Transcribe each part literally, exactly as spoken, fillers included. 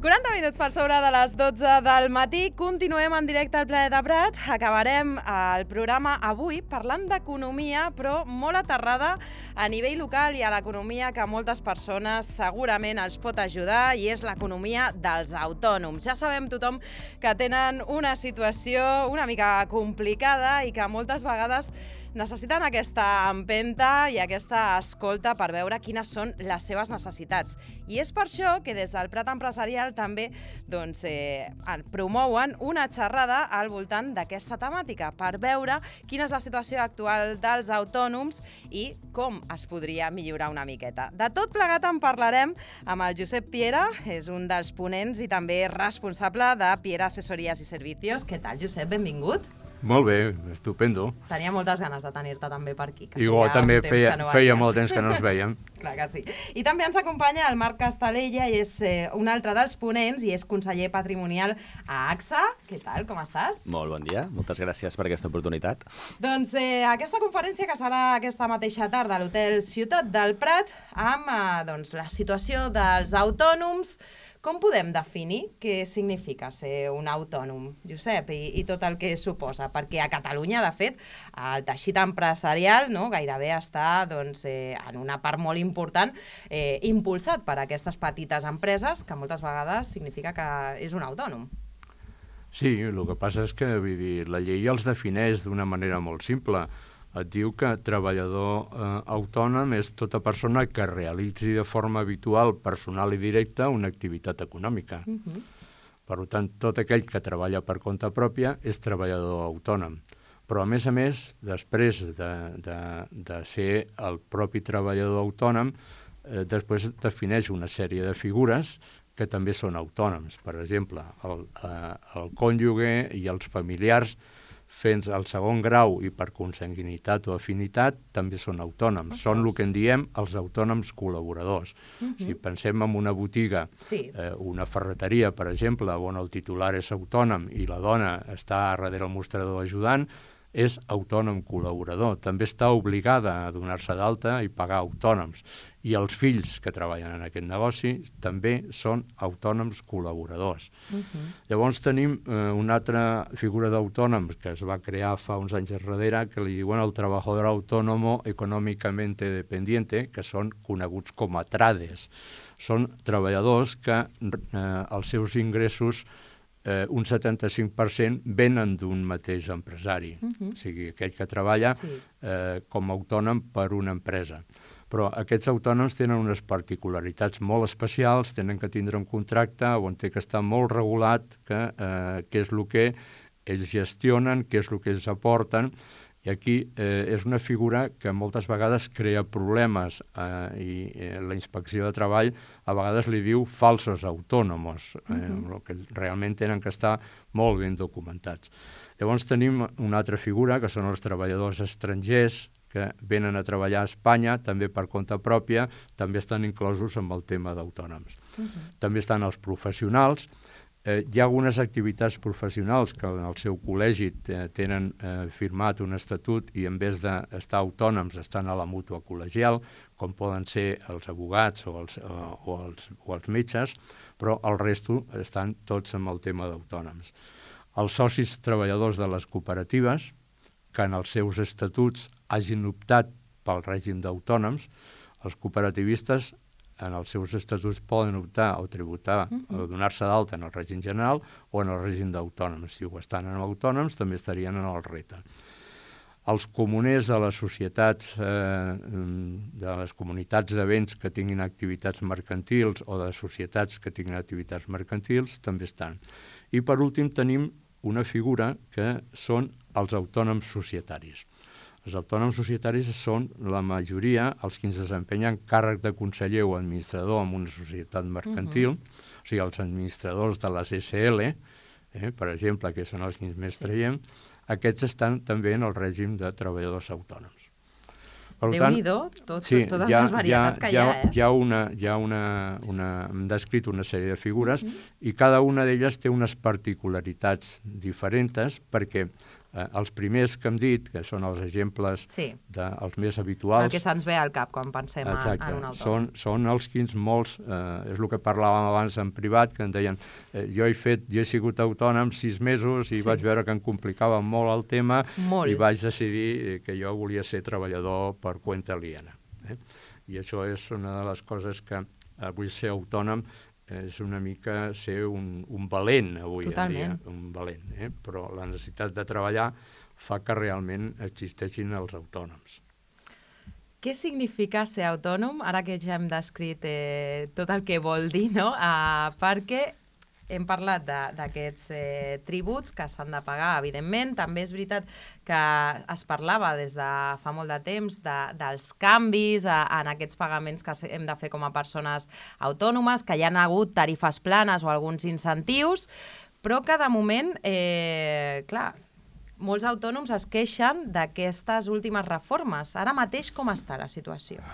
quaranta minuts per sobre de les dotze del matí. Continuem en directe al Planeta Prat. Acabarem el programa avui parlant d'economia, però molt aterrada a nivell local i a l'economia que moltes persones segurament els pot ajudar, i és l'economia dels autònoms. Ja sabem tothom que tenen una situació una mica complicada i que moltes vegades necessiten aquesta empenta i aquesta escolta per veure quines són les seves necessitats. I és per això que des del Prat Empresarial també doncs, eh, promouen una xerrada al voltant d'aquesta temàtica per veure quina és la situació actual dels autònoms i com es podria millorar una miqueta. De tot plegat en parlarem amb el Josep Piera, és un dels ponents i també responsable de Piera Asesorías i Servicios. Què tal, Josep? Benvingut. Molt bé, estupendo. Tenia moltes ganes de tenir-te també per aquí. I jo també feia, no feia molt temps que no ens veiem. Clar que sí. I també ens acompanya el Marc Castalella, i és eh, un altre dels ponents, i és conseller patrimonial a AXA. Què tal, com estàs? Molt bon dia, moltes gràcies per aquesta oportunitat. Doncs eh, aquesta conferència que serà aquesta mateixa tarda a l'Hotel Ciutat del Prat, amb eh, doncs, la situació dels autònoms. Com podem definir què significa ser un autònom, Josep, i, i tot el que suposa? Perquè a Catalunya, de fet, el teixit empresarial no, gairebé està doncs, eh, en una part molt important eh, impulsat per aquestes petites empreses, que moltes vegades significa que és un autònom. Sí, el que passa és que vull dir, la llei els defineix d'una manera molt simple. Et diu que treballador eh, autònom és tota persona que realitzi de forma habitual, personal i directa, una activitat econòmica. Uh-huh. Per tant, tot aquell que treballa per compte pròpia és treballador autònom. Però, a més a més, després de, de, de ser el propi treballador autònom, eh, després defineix una sèrie de figures que també són autònoms. Per exemple, el, eh, el cònjuge i els familiars fent el segon grau i per consanguinitat o afinitat també són autònoms. Ostres. Són el que en diem els autònoms col·laboradors. Uh-huh. Si pensem en una botiga, sí. eh, una ferreteria, per exemple, on el titular és autònom i la dona està darrere el mostrador ajudant, és autònom col·laborador. També està obligada a donar-se d'alta i pagar autònoms. I els fills que treballen en aquest negoci també són autònoms col·laboradors. Uh-huh. Llavors tenim eh, una altra figura d'autònom que es va crear fa uns anys enrere, que li diuen el trabajador autónomo econòmicamente dependiente, que són coneguts com a trades. Són treballadors que eh, els seus ingressos Eh, un setanta-cinc per cent venen d'un mateix empresari, uh-huh. o sigui, aquell que treballa sí. eh, com a autònom per una empresa. Però aquests autònoms tenen unes particularitats molt especials, tenen que tindre un contracte on té que estar molt regulat que, eh, què és el que ells gestionen, què és el que ells aporten, i aquí eh, és una figura que moltes vegades crea problemes eh, i eh, la inspecció de treball a vegades li diu falsos autònomos, eh, uh-huh. que realment tenen que estar molt ben documentats. Llavors tenim una altra figura, que són els treballadors estrangers, que venen a treballar a Espanya, també per compte pròpia, també estan inclosos amb el tema d'autònoms. Uh-huh. També estan els professionals. Eh, hi ha algunes activitats professionals que en el seu col·legi eh, tenen eh, firmat un estatut i en vez d'estar autònoms estan a la mútua col·legial, com poden ser els advocats o els, o, o els, o els metges, però el resto estan tots amb el tema d'autònoms. Els socis treballadors de les cooperatives, que en els seus estatuts hagin optat pel règim d'autònoms. Els cooperativistes en els seus estatuts poden optar o tributar o donar-se d'alta en el règim general o en el règim d'autònoms. Si ho estan en autònoms, també estarien en el R E T A. Els comuners de les societats, eh, de les comunitats de béns que tinguin activitats mercantils o de societats que tinguin activitats mercantils també estan. I per últim tenim una figura que són els autònoms societaris. Els autònoms societaris són la majoria els que ens desempenyen càrrec de conseller o administrador en una societat mercantil, uh-huh. o sigui, els administradors de les S L, eh, per exemple, que són els que més traiem, aquests estan també en el règim de treballadors autònoms. Déu-n'hi-do, tot, sí, totes ja, les varietats ja, que hi ha. Ja, eh? Hi ha, una, hi ha una, una, hem descrit una sèrie de figures uh-huh. i cada una d'elles té unes particularitats diferents perquè eh, els primers que hem dit, que són els exemples sí. de, els més habituals... El que se'ns ve al cap quan pensem exacte, en un autònom. Són, són els quins molts, eh, és el que parlàvem abans en privat, que em deien, eh, jo he fet, jo he sigut autònom sis mesos i sí. vaig veure que em complicava molt el tema molt. I vaig decidir que jo volia ser treballador per compte aliena. Eh? I això és una de les coses que avui ser autònom és una mica ser un, un valent avui Totalment. en dia, un valent, eh? Però la necessitat de treballar fa que realment existeixin els autònoms. Què significa ser autònom? Ara que ja hem descrit eh, tot el que vol dir, no? Uh, perquè hem parlat d'aquests eh, tributs que s'han de pagar, evidentment. També és veritat que es parlava des de fa molt de temps de, dels canvis a, en aquests pagaments que hem de fer com a persones autònomes, que hi ha hagut tarifes planes o alguns incentius, però que de moment, eh, clar, molts autònoms es queixen d'aquestes últimes reformes. Ara mateix com està la situació?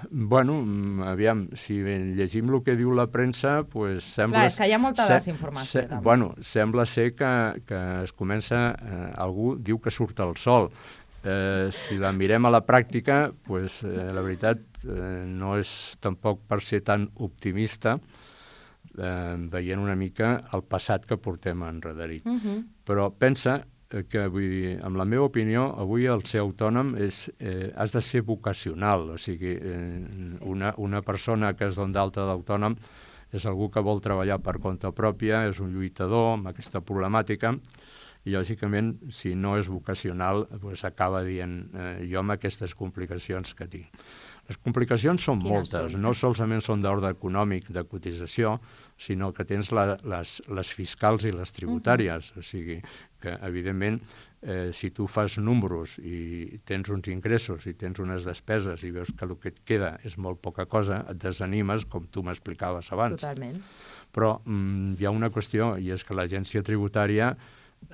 Bueno, aviam, si llegim el que diu la premsa, pues sembla... Clar, és que hi ha molta desinformació. Se, bueno, sembla ser que, que es comença... Eh, algú diu que surt el sol. Eh, si la mirem a la pràctica, pues, eh, la veritat eh, no és tampoc per ser tan optimista, eh, veient una mica el passat que portem enrederit. Uh-huh. Però pensa que, vull dir, amb la meva opinió, avui el ser autònom és, eh, has de ser vocacional, o sigui, eh, sí. una, una persona que es dona d'alta d'autònom és algú que vol treballar per compte pròpia, és un lluitador amb aquesta problemàtica, i lògicament, si no és vocacional, doncs acaba dient eh, jo amb aquestes complicacions que tinc. Les complicacions són Quines moltes, són? No solament són d'ordre econòmic, de cotització, sinó que tens la, les, les fiscals i les tributàries. Uh-huh. O sigui que, evidentment, eh, si tu fas números i tens uns ingressos i tens unes despeses i veus que el que et queda és molt poca cosa, et desanimes, com tu m'explicaves abans. Totalment. Però mm, hi ha una qüestió, i és que l'agència tributària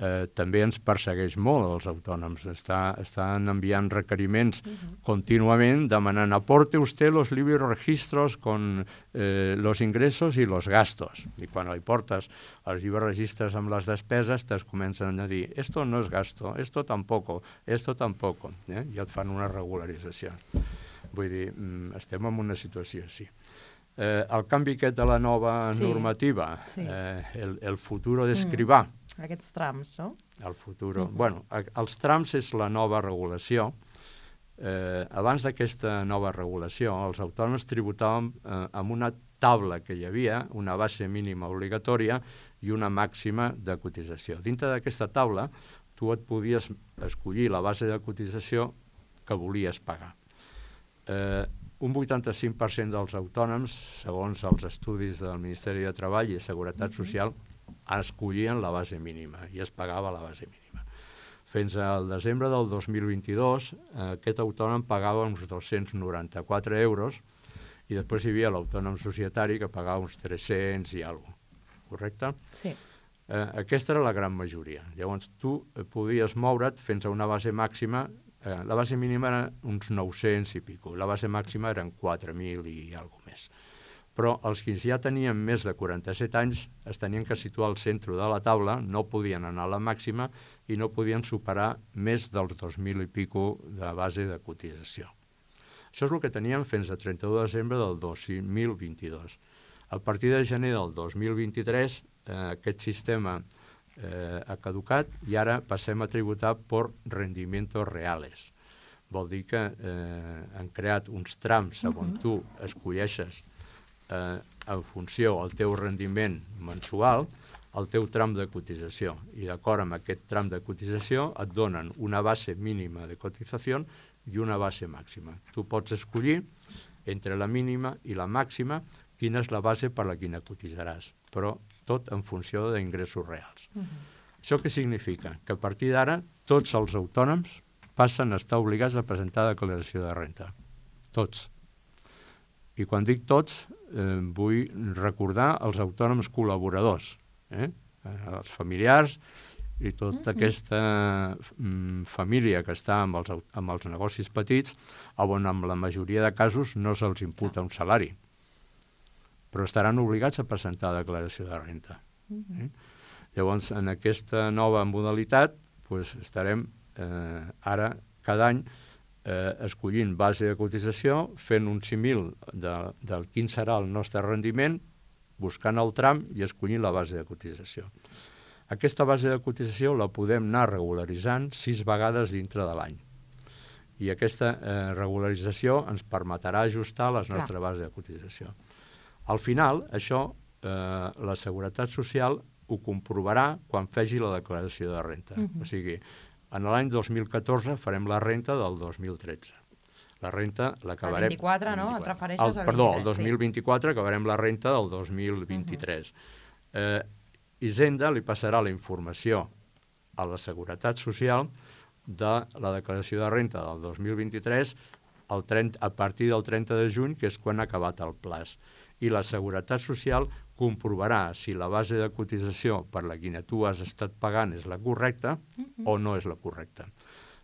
Eh, també ens persegueix molt els autònoms. Està, estan enviant requeriments uh-huh. contínuament demanant aporte usted los libres registros con eh, los ingressos y los gastos. I quan li portes els llibres registres amb les despeses, te'ls comencen a dir esto no es gasto, esto tampoco, esto tampoco. Eh? I et fan una regularització. Vull dir, estem en una situació així. Eh, el canvi aquest de la nova sí. normativa, sí. Eh, el, el futuro d'escrivà, mm. Aquests trams, no? El futur. Uh-huh. Bueno, els trams és la nova regulació. Eh, abans d'aquesta nova regulació, els autònoms tributàvem eh, amb una taula que hi havia, una base mínima obligatòria i una màxima de cotització. Dintre d'aquesta taula, tu et podies escollir la base de cotització que volies pagar. Eh, un vuitanta-cinc per cent dels autònoms, segons els estudis del Ministeri de Treball i Seguretat uh-huh. Social, escollien la base mínima i es pagava la base mínima. Fins al desembre del dos mil vint-i-dos, eh, aquest autònom pagava uns dos-cents noranta-quatre euros i després hi havia l'autònom societari que pagava uns tres-cents i alguna cosa. Correcte? Sí. Eh, aquesta era la gran majoria. Llavors, tu podies moure't fins a una base màxima. Eh, la base mínima era uns nou-cents i pico. La base màxima eren quatre mil i alguna més. Però els que ja tenien més de quaranta-set anys es tenien que situar al centre de la taula, no podien anar a la màxima i no podien superar més dels dos mil i pico de base de cotització. Això és el que teníem fins a trenta-u de desembre del dos mil vint-i-dos. A partir de gener del dos mil vint-i-tres, eh, aquest sistema eh, ha caducat i ara passem a tributar per rendimientos reales. Vol dir que eh, han creat uns trams on tu escolleixes eh, en funció del teu rendiment mensual el teu tram de cotització. I d'acord amb aquest tram de cotització et donen una base mínima de cotització i una base màxima. Tu pots escollir entre la mínima i la màxima quina és la base per la quina cotitzaràs, però tot en funció d'ingressos reals. Uh-huh. Això què significa? Que a partir d'ara tots els autònoms passen a estar obligats a presentar declaració de renta. Tots. I quan dic tots, eh, vull recordar els autònoms col·laboradors, eh? els familiars i tota mm-hmm. aquesta mm, família que està amb els, amb els negocis petits, on en la majoria de casos no se'ls imputa un salari, però estaran obligats a presentar declaració de renta. Mm-hmm. Eh? Llavors, en aquesta nova modalitat, pues, estarem eh, ara, cada any, eh, escollint base de cotització, fent un símil de, del quin serà el nostre rendiment, buscant el tram i escollint la base de cotització. Aquesta base de cotització la podem anar regularitzant sis vegades dintre de l'any. I aquesta eh, regularització ens permetrà ajustar les nostres bases de cotització. Al final, això, eh, la Seguretat Social ho comprovarà quan faci la declaració de renta. Uh-huh. O sigui, en l'any dos mil catorze farem la renta del dos mil tretze. La renta l'acabarem... El vint-i-quatre, no? Et refereixes al vint-i-tres. Perdó, el dos mil vint-i-quatre acabarem la renta del dos mil vint-i-tres. Uh-huh. eh, Hisenda li passarà la informació a la Seguretat Social de la declaració de renta del dos mil vint-i-tres el trenta, a partir del trenta de juny, que és quan ha acabat el plaç. I la Seguretat Social comprovarà si la base de cotització per la quina tu has estat pagant és la correcta uh-huh. o no és la correcta.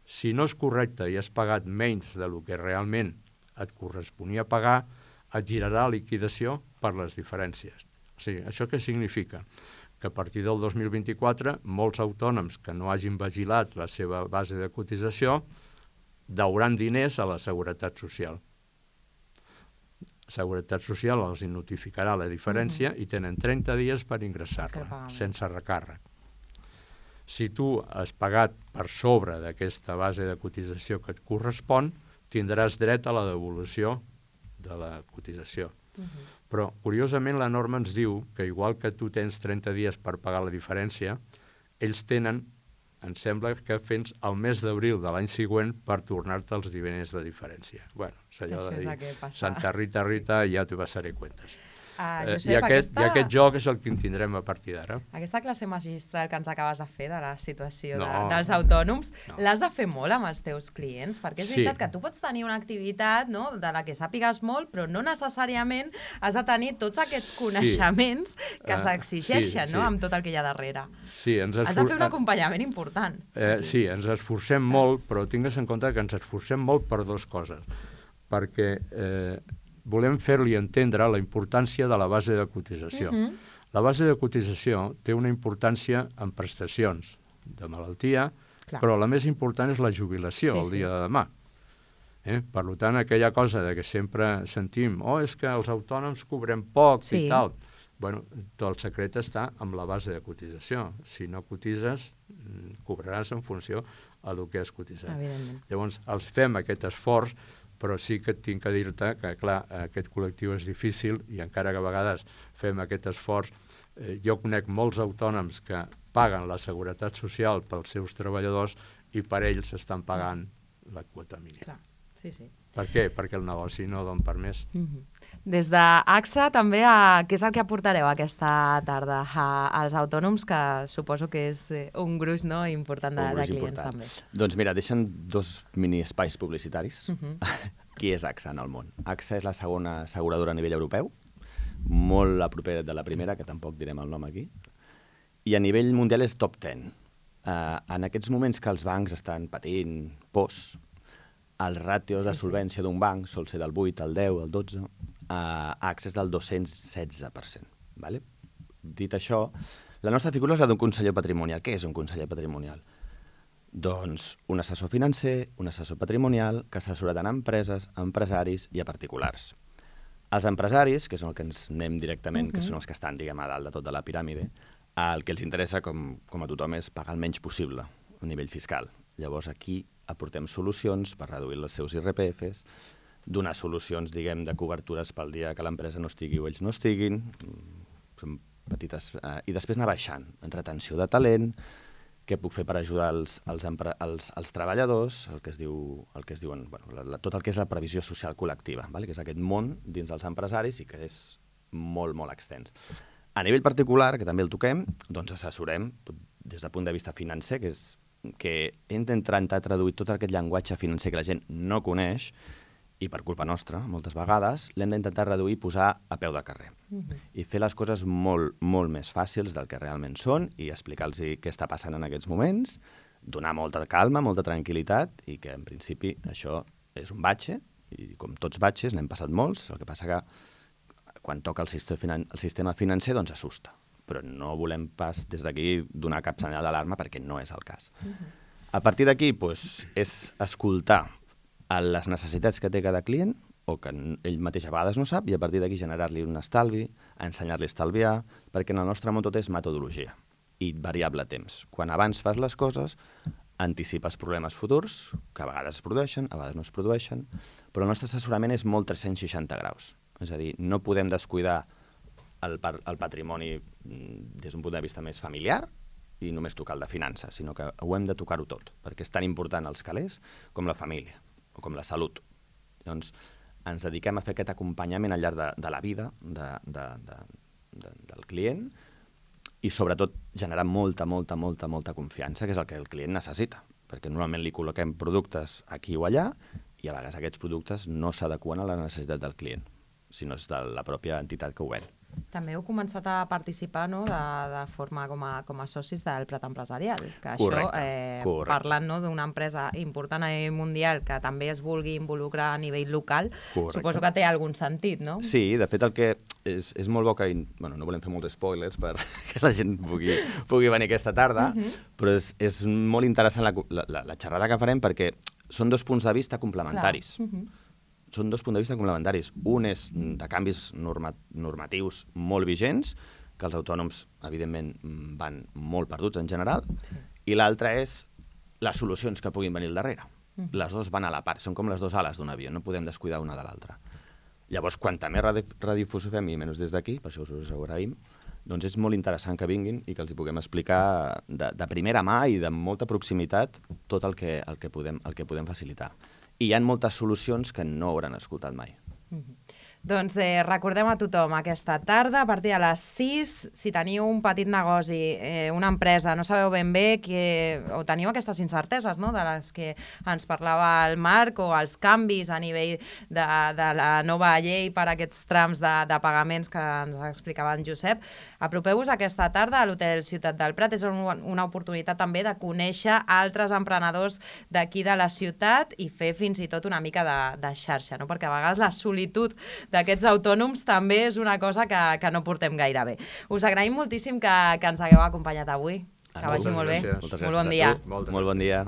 Si no és correcta i has pagat menys del que realment et corresponia pagar, et girarà liquidació per les diferències. O sigui, això què significa? Que a partir del dos mil vint-i-quatre molts autònoms que no hagin vigilat la seva base de cotització deuran diners a la Seguretat Social. La Seguretat Social els notificarà la diferència uh-huh. i tenen trenta dies per ingressar-la, sense recàrrec. Si tu has pagat per sobre d'aquesta base de cotització que et correspon, tindràs dret a la devolució de la cotització. Uh-huh. Però, curiosament, la norma ens diu que igual que tu tens trenta dies per pagar la diferència, ells tenen, em sembla que fins al mes d'abril de l'any següent per tornar-te els diners de diferència. Bueno, és allò de dir, Santa Rita, Rita, sí. Ja te passaré cuentas. Uh, eh, Josep, I, aquest, aquesta... I aquest joc és el que en tindrem a partir d'ara. Aquesta classe magistral que ens acabes de fer de la situació no, de, dels autònoms, no. l'has de fer molt amb els teus clients, perquè és sí. veritat que tu pots tenir una activitat, no?, de la que sàpigues molt, però no necessàriament has de tenir tots aquests coneixements sí. que uh, s'exigeixen, sí, no?, sí. amb tot el que hi ha darrere. Sí, ens esfor... Has de fer un acompanyament important. Eh, sí, ens esforcem molt, però tingues en compte que ens esforcem molt per dues coses. Perquè... Eh, volem fer-li entendre la importància de la base de cotització. Uh-huh. La base de cotització té una importància en prestacions de malaltia, clar. Però la més important és la jubilació sí, el dia sí. de demà. Eh? Per tant, aquella cosa de que sempre sentim oh, és que els autònoms cobrem poc sí. i tal. Bueno, tot el secret està amb la base de cotització. Si no cotitzes, cobraràs en funció a el que has cotitzat. Llavors, els fem aquest esforç, però sí que tinc que dir-te que, clar, aquest col·lectiu és difícil i encara que a vegades fem aquest esforç, eh, jo conec molts autònoms que paguen la Seguretat Social pels seus treballadors i per ells estan pagant la quota mínima. Clar, sí, sí. Per què? Perquè el negoci no don per més. Mm-hmm. Des d'AXA també, a, què és el que aportareu aquesta tarda a, als autònoms, que suposo que és un gruix no, important de, de clients important. També. Doncs mira, deixen dos mini espais publicitaris. Uh-huh. Qui és AXA en el món? AXA és la segona asseguradora a nivell europeu, molt a propera de la primera, que tampoc direm el nom aquí, i a nivell mundial és top deu. Uh, en aquests moments que els bancs estan patint pors, el ràtio de solvència d'un banc sol ser del vuit, el deu, el dotze, a AXA és del dos-cents setze per cent. Vale? Dit això, la nostra figura és la d'un conseller patrimonial. Què és un conseller patrimonial? Doncs un assessor financer, un assessor patrimonial, que assessora tant a empreses, a empresaris i a particulars. Els empresaris, que són els que ens anem directament, uh-huh. que són els que estan, diguem, a dalt de tota la piràmide, el que els interessa, com, com a tothom, és pagar el menys possible a nivell fiscal. Llavors aquí aportem solucions per reduir els seus I R P Fs, donar solucions, diguem, de cobertures pel dia que l'empresa no estigui o ells no estiguin, són petites, eh, i després anar baixant en retenció de talent, què puc fer per ajudar els, els, els, els treballadors, el que es diu, el que es diuen, bueno, la, la, tot el que és la previsió social col·lectiva, vale? Que és aquest món dins dels empresaris i que és molt, molt extens. A nivell particular, que també el toquem, doncs assessorem des del punt de vista financer, que és que hem d'intentar traduir tot aquest llenguatge financer que la gent no coneix, i per culpa nostra, moltes vegades, l'hem d'intentar reduir i posar a peu de carrer. Uh-huh. I fer les coses molt, molt més fàcils del que realment són i explicar-los què està passant en aquests moments, donar molta calma, molta tranquil·litat i que, en principi, això és un batxe, i com tots batxes, n'hem passat molts, el que passa que quan toca el sistema, finan el sistema financer, doncs assusta. Però no volem pas des d'aquí donar cap senyal d'alarma perquè no és el cas. Uh-huh. A partir d'aquí, doncs, és escoltar a les necessitats que té cada client o que ell mateix a vegades no sap i a partir d'aquí generar-li un estalvi, ensenyar-li a estalviar, perquè en el nostre món tot és metodologia i variable temps. Quan abans fas les coses, anticipes problemes futurs, que a vegades es produeixen, a vegades no es produeixen, però el nostre assessorament és molt tres-cents seixanta graus. És a dir, no podem descuidar el, el patrimoni des d'un punt de vista més familiar i només tocar el de finances, sinó que ho hem de tocar-ho tot, perquè és tan important els calés com la família o com la salut. Llavors, ens dediquem a fer aquest acompanyament al llarg de, de la vida de, de, de, de, del client i, sobretot, generar molta, molta, molta, molta confiança, que és el que el client necessita, perquè normalment li col·loquem productes aquí o allà i a vegades aquests productes no s'adequen a la necessitat del client, sinó és de la pròpia entitat que ho ven. També heu començat a participar, no?, de, de forma com a, com a socis del Prat Empresarial. Que correcte, això, eh, correcte. Parlant, no, d'una empresa important a nivell mundial que també es vulgui involucrar a nivell local, correcte. Suposo que té algun sentit, no? Sí, de fet el que és, és molt bo que... Bueno, no volem fer molts spoilers perquè la gent pugui, pugui venir aquesta tarda, uh-huh. però és, és molt interessant la, la, la xerrada que farem perquè són dos punts de vista complementaris. Clar. Uh-huh. Són dos punts de vista complementaris. Un és de canvis norma normatius molt vigents, que els autònoms, evidentment, van molt perduts en general, sí. I l'altre és les solucions que puguin venir al darrere. Mm. Les dues van a la part, són com les dues ales d'un avió, no podem descuidar una de l'altra. Llavors, quanta més radiodifusió fem, i menys des d'aquí, per això us ho agraïm, doncs és molt interessant que vinguin i que els hi puguem explicar de, de primera mà i de molta proximitat tot el que, el que, podem, el que podem facilitar. I hi ha moltes solucions que no hauran escoltat mai. Mm-hmm. Doncs eh, recordem a tothom aquesta tarda, a partir de les sis, si teniu un petit negoci, eh, una empresa, no sabeu ben bé que, o teniu aquestes incerteses, no?, de les que ens parlava el Marc, o els canvis a nivell de, de la nova llei per a aquests trams de, de pagaments que ens explicava en Josep, apropeu-vos aquesta tarda a l'Hotel Ciutat del Prat. És un, una oportunitat també de conèixer altres emprenedors d'aquí de la ciutat i fer fins i tot una mica de, de xarxa, no?, perquè a vegades la solitud d'aquests autònoms també és una cosa que, que no portem gaire bé. Us agraïm moltíssim que, que ens hagueu acompanyat avui. Que vagi molt bé. Moltes molt bon dia. Molt bon dia.